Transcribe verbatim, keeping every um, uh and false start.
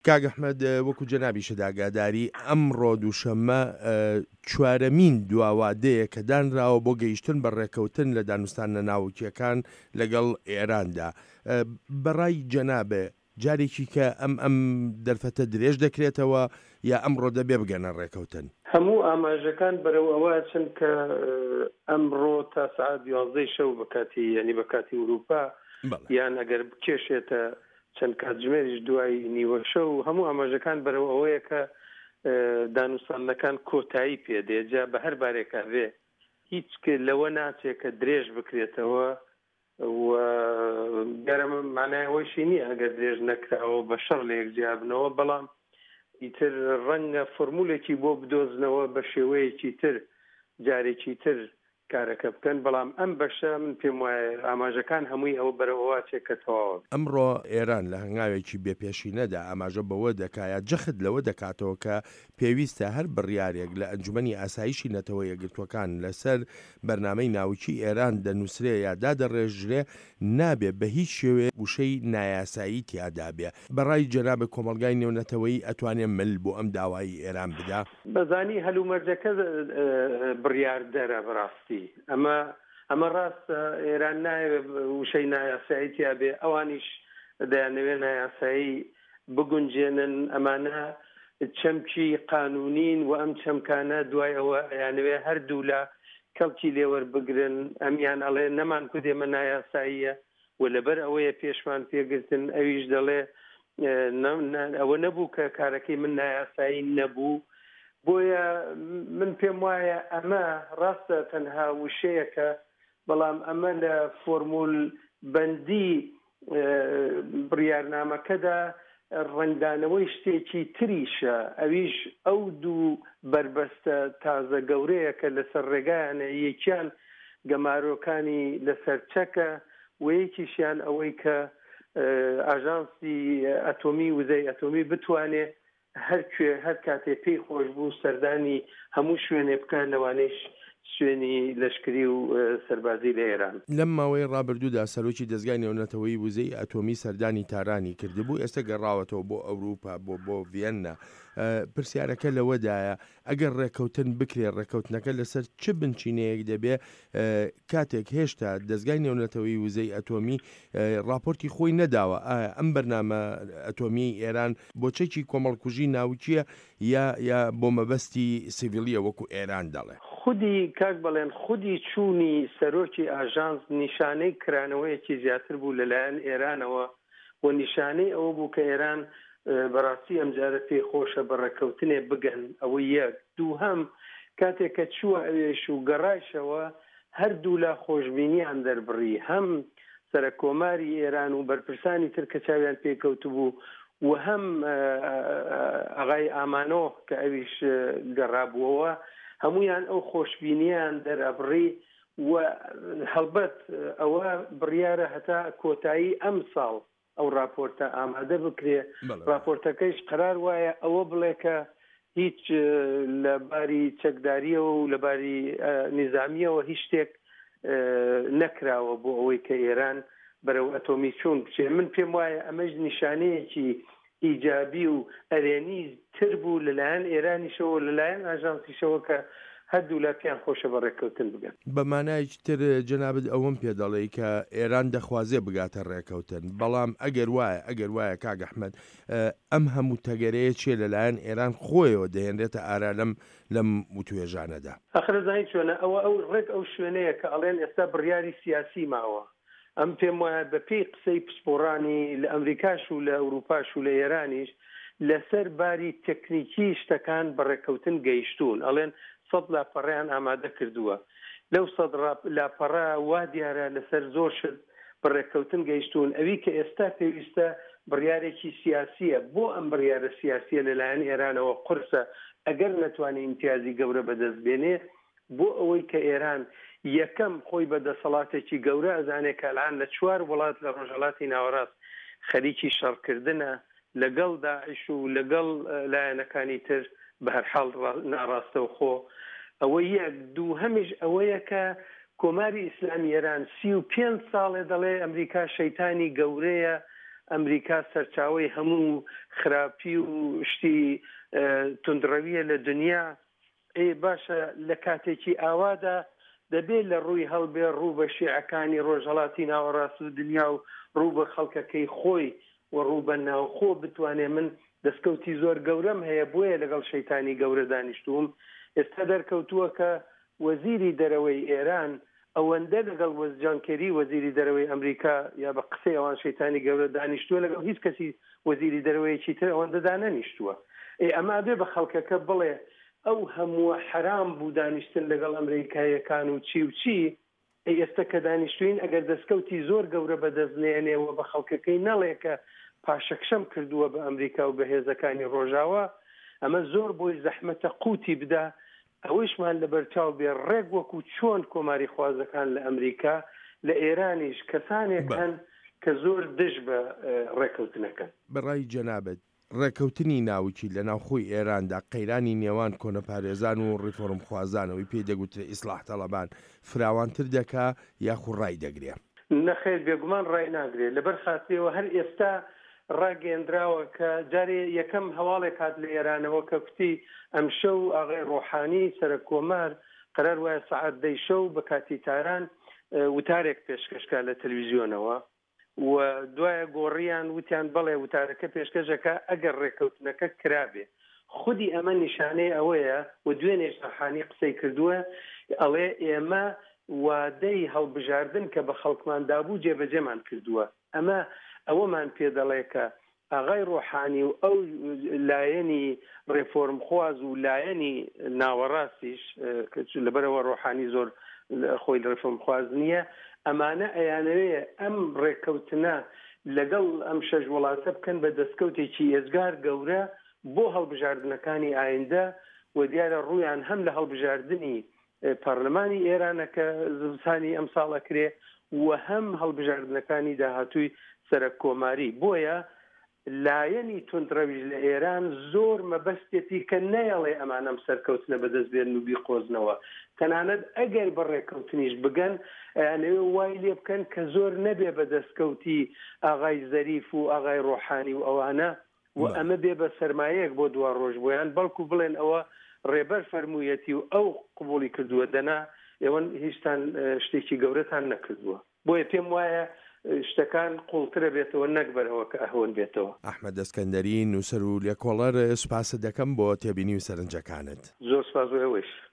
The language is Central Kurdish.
کاک ئەحمەد، وەکو جەنابیشت ئاگاداری، ئەمڕۆ دووشەممە چوارەمین دواوادەیە کە دانراوە بۆ گەیشتن بە ڕێکەوتن لە دانوستانە ناوکییەکان لەگەڵ ئێراندا. بەڕای جەنابێ جارێکی کە ئەم ئەم دەرفەتە درێژ دەکرێتەوە یا ئەمڕۆ دەبێ بگەنە ڕێکەوتن؟ هەموو ئاماژەکان بەرەو ئەوە ئەچن کە ئەمڕۆ تا سەعات یازدەی شەو بە کاتی، یانی بە کاتی ئورووپا، یان ئەگەر بکێشێتە چەند کاتژمێریش دوای نیوە شەو، هەموو ئاماژەکان بەرەو ئەوەیە کە دانوستاندنەکان کۆتایی پێ دێ. جا بە هەر بارێکا بێ هیچ لەوە ناچێ کە درێژ بکرێتەوە و دیارە مانای ئەوەیشی نییە ئەگەر درێژ نەکراوە بە شەڕ لە یەک جیابنەوە، بەڵام ئیتر ڕەنگە فۆرمولێکی بۆ بدۆزنەوە بە شێوەیەکی تر جارێکی تر کارەکە بکەن. بەڵام ئەم بەشە من پێم وایە ئاماژەکان هەمووی ئەوە بەرەو ئەوە چێ کە تەواوە. ئەمڕۆ ئێران لە هەنگاوێکی بێپێشینەدا ئاماژە بەوە دەکا یا جەخت لەوە دەکاتەوە کە پێویستە هەر بڕیارێک لە ئەنجومەنی ئاسایشی نەتەوە یەکگرتووەکان لەسەر بەرنامەی ناوکی ئێران دەنووسرێ یا دادەڕێژرێ نابێ بە هیچ شێوەیەک وشەی نایاسایی تیادا بێ. بەڕای جەنابت کۆمەڵگای نێونەتەوەیی ئەتوانێ مل بۆ ئەم داوایەی ئێران بدا؟ بەزانی هەلومەرجەکە بڕیاردەرە. بەڕاستی ئەمە ئەمە ڕاستە، ئێران نایەوێ وشەی نایاسایی تیا بێ، ئەوانیش دەیانەوێ نایاسایی بگونجێنن. ئەمانە چەمکی قانونین و ئەم چەمکانە دوای ئەوە ئەیانەوێ هەردوولا کەڵکی لێوەربگرن. ئەمیان ئەڵێ نەمان کوت ئێمە نایاساییە و لەبەر ئەوەیە پێشمان پێگرتن، ئەویش دەڵێ ئەوە نەبوو کە کارەکەی من نایاسایی نەبوو. بۆیە من پێم وایە ئەمە ڕاستە تەنها وشەیەکە، بەڵام ئەمە لە فۆرمول بەندی بڕیارنامەکەدا ڕەنگدانەوەی شتێکی تریشە، ئەویش ئەو دوو بەربەستە تازە گەورەیە کە لەسەر ڕێگایانە، یەکیان گەمارۆکانی لەسەر چەکە و یەکیشیان ئەوەی کە ئاژانسی ئەتۆمی وزەی ئەتۆمی بتوانێ هەر کوێ هەر کاتێ پێی خۆش بوو سەردانی هەموو شوێنێ بکات، لەوانەیش شوێنی لەشکری و سەربازی لە ئێران. لەم ماوەی ڕابردوودا سەرۆکی دەزگای نێونەتەوەیی وزەی ئەتۆمی سەردانی تارانی کردبوو، ئێستا گەڕاوەتەوە بۆ ئەوروپا، بۆ بۆ ڤیەننا. پرسیارەکە لەوەدایە ئەگەر ڕێککەوتن بکرێ، ڕێککەوتنەکە لەسەر چ بنچینەیەک دەبێ کاتێک هێشتا دەزگای نێونەتەوەیی وزەی ئەتۆمی ڕاپۆرتی خۆی نەداوە؟ ئایا ئەم بەرنامە ئەتۆمیەی ئێران بۆ چەکی کۆمەڵکوژی ناوکیە یا یا بۆ مەبەستی سیڤیلیە وەکو ئێران دەڵێ؟ خودی کاک بەڵێن، خودی چوونی سەرۆکی ئاژانس نیشانەی کرانەوەیەکی زیاتر بوو لەلایەن ئێرانەوە و نیشانەی ئەوە بوو کە ئێران بەڕاستی ئەمجارە پێی خۆشە بە ڕێککەوتنێ بگەن. ئەوە یەک. دووهەم، کاتێک کە چووە ئەوێش و گەڕایشەوە هەردوولا خۆشبینیان دەربڕی، هەم سەرەککۆماری ئێران و بەرپرسانی تر کە چاویان پێکەوتبوو و هەم ئاغای ئامانۆ کە ئەویش گەڕابووەوە، هەمویان ئەو خۆشبینیان دەرئەبڕی و هەڵبەت ئەوە بڕیارە هەتا کۆتایی ئەم ساڵ ئەو راپۆرتە ئامادە بکرێ. راپۆرتەکەیش قەرار وایە ئەوە بڵێ کە هیچ لە باری چەکداریەوە و لە باری نیزامیەوە هیچ شتێک نەکراوە بۆ ئەوەی کە ئێران بەرەو ئەتۆمی چوون بچێ. من پێم وایە ئەمەش نیشانەیەکی ئیجابی و ئەرێنی تر بوو لەلایەن ئێرانیشەوە لەلایەن ئاژانسیشەوە کە هەردوولا پێیان خۆشە بە ڕێککەوتن بگەن. بە مانایەکی تر جەنابت ئەوەم پێ دەڵێی کە ئێران دەخوازێ بگاتە ڕێکەوتن، بەڵام ئەگەر وایە ئەگەر وایە کاک ئەحمەد ئەم هەموو تەگەرەیە چیە لەلایەن ئێران خۆیەوە دەهێنرێتە ئارا لەم لەم وتوێژانەدا؟ ئاخر ئەزانی چۆنە، ئەوە ئەو ڕێک ئەو شوێنەیە کە ئەڵێن ئێستا بڕیاری سیاسی ماوە. ئەم پێم وایە بە پێی قسەی پسپۆڕانی لە ئەمریکاش و لە ئەوروپاش و لە ئێرانیش لەسەر باری تەکنیکی شتەکان بە ڕێککەوتن گەیشتوون. ئەڵێن سەد لاپەڕەیان ئامادە کردووە، لەو سەد لاپەڕە وا دیارە لەسەر زۆر شت بە ڕێککەوتن گەیشتوون. ئەوی کە ئێستا پێویستە بڕیارێکی سیاسیە. بۆ ئەم بڕیارە سیاسیە لەلایەن ئێرانەوە قورسە ئەگەر نەتوانێ ئیمتیازی گەورە بەدەست بێنێ، بۆ ئەوەی کە ئێران یەکەم خۆی بە دەسەڵاتێکی گەورە ئەزانێ کە ئەلان لە چوار وڵات لە ڕۆژهەڵاتی ناوەڕاست خەریکی شەڕکردنە لەگەڵ داعش و لەگەڵ لایەنەکانی تر بەهەرحاڵ ناڕاستەوخۆ. ئەوە یەک. دووهەمیش ئەوەیە کە کۆماری ئیسلامی ئێران سی و پێنج ساڵێ دەڵێ ئەمریکا شەیتانی گەورەیە، ئەمریکا سەرچاوەی هەموو خراپی و شتی توندڕەویە لە دنیا. ئێ باشە لە کاتێکی ئاوادا دەبێ لە ڕووی هەڵبێ ڕوو بە شیعەکانی ڕۆژهەڵاتی ناوەڕاست و دنیا و ڕوو بە خەڵکەکەی خۆی و ڕوو بە ناوخۆ بتوانێ من دەستکەوتی زۆر گەورەم هەیە بۆیە لەگەڵ شەیتانی گەورە دانیشتووم. ئێستا دەرکەوتووە کە وەزیری دەرەوەی ئێران ئەوەندە لەگەڵ جان کێری وەزیری دەرەوەی ئەمریکا یا بە قسەی ئەوان شەیتانی گەورە دانیشتووە، لەگەڵ هیچ کەسی وەزیری دەرەوەیەکی تر ئەوەندە دانەنیشتووە. ئێ ئەمە ئەبێ بە خەڵکەکە بڵێ ئەو هەمووە حەرام بوو دانیشتن لەگەڵ ئەمریکاییەکان و چی و چی. ئەی ئێستا کە دانیشتوین ئەگەر دەستکەوتی زۆر گەورە بەدەست نێنێ و بە خەڵکەکەی نەڵێ کە پاشەکشەم کردووە بە ئەمریکا و بە هێزەکانی ڕۆژاوا، ئەمە زۆر بۆی زەحمەتە قوتی بدا. ئەوەیشمان لەبەرچاو بێ ڕێک وەکو چۆن کۆماری خوازەکان لە ئەمریکا، لە ئێرانیش کەسانێک هەن کە زۆر دژ بە ڕێکەوتنەکەن. بەڕای جەنابت ڕێکەوتنی ناوکی لە ناوخۆی ئێراندا قەیرانی نێوان کۆنەپارێزان و ڕیفۆرمخوازانەوەی پێی دەگوترێ ئیسلاح تەڵەبان فراوانتر دەکا یاخو ڕای دەگرێ؟ نەخێر، بێگومان ڕای ناگرێ. لەبەر خاترەوە هەر ئێستا ڕاگەیەندراوە کە جارێ یەکەم هەواڵێک هات لە ئێرانەوە کە کوتی ئەمشەو ئاغای ڕۆحانی سەرەک کۆمار قرار وایە سەعات دەی شەو بە کاتی تاران وتارێک پێشکەشکا لە تەلویزیۆنەوە و دوایە گۆڕیان وتیان بەڵێ وتارەکە پێشکەشەکە ئەگەر ڕێککەوتنەکە کرابێ. خودی ئەمە نیشانەی ئەوەیە و دوێنێش ڕۆحانی قسەی کردووە، ئەڵێ ئێمە وادەی هەڵبژاردن کە بە خەڵکمان دابوو جێبەجێمان کردووە. ئەمە ئەوەمان پێدەڵێ کە ئاغای ڕۆحانی و ئەو لایەنی ڕێفۆرمخواز و لایەنی ناوەڕاستیش لەبەرەوە ڕۆحانی زۆر خۆی ڕێفۆرمخواز نییە، ئەمانە ئەیانەوێ ئەم ڕێککەوتنە لەگەڵ ئەم شەش وڵاتە بکەن بە دەستکەوتێکی ئێجگار گەورە بۆ هەڵبژاردنەکانی ئایندە و دیارە ڕوویان هەم لە هەڵبژاردنی پەرلەمانی ئێرانە کە زمسانی ئەمساڵ ئەکرێ و هەم هەڵبژاردنەکانی داهاتووی سەرەک کۆماری. بۆیە لایەنی توندڕەویش لە ئێران زۆر مەبەستێتی کە نەیەڵێ ئەمانەم سەرکەوتنە بەدەست بێنن و بیقۆزنەوە، تەنانەت ئەگەر بە ڕێککەوتنیش بگەن ئەیانەوێ وای لێ بکەن کە زۆر نەبێ بە دەستکەوتی ئاغای زەریف و ئاغای ڕۆحانی و ئەوانە و ئەمە بێ بە سەرمایەک بۆ دوا ڕۆژ بۆیان، بەڵکو بڵێن ئەوە ڕێبەر فەرموویەتی و ئەو قبوڵی کردووە، دەنا ئێوە هیچتان شتێکی گەورەتان نەکردووە. بۆیە پێم وایە شتەکان قوڵترە بێتەوە نەک بەرەوە کە ئەهۆن بێتەوە. ئەحمەد ئەسکەندەری، نووسەر و لێکۆڵەر، سوپاست دەکەم بۆ تێبینی و سەرنجەکانت. زۆر سوپاس بۆ ئێوەش.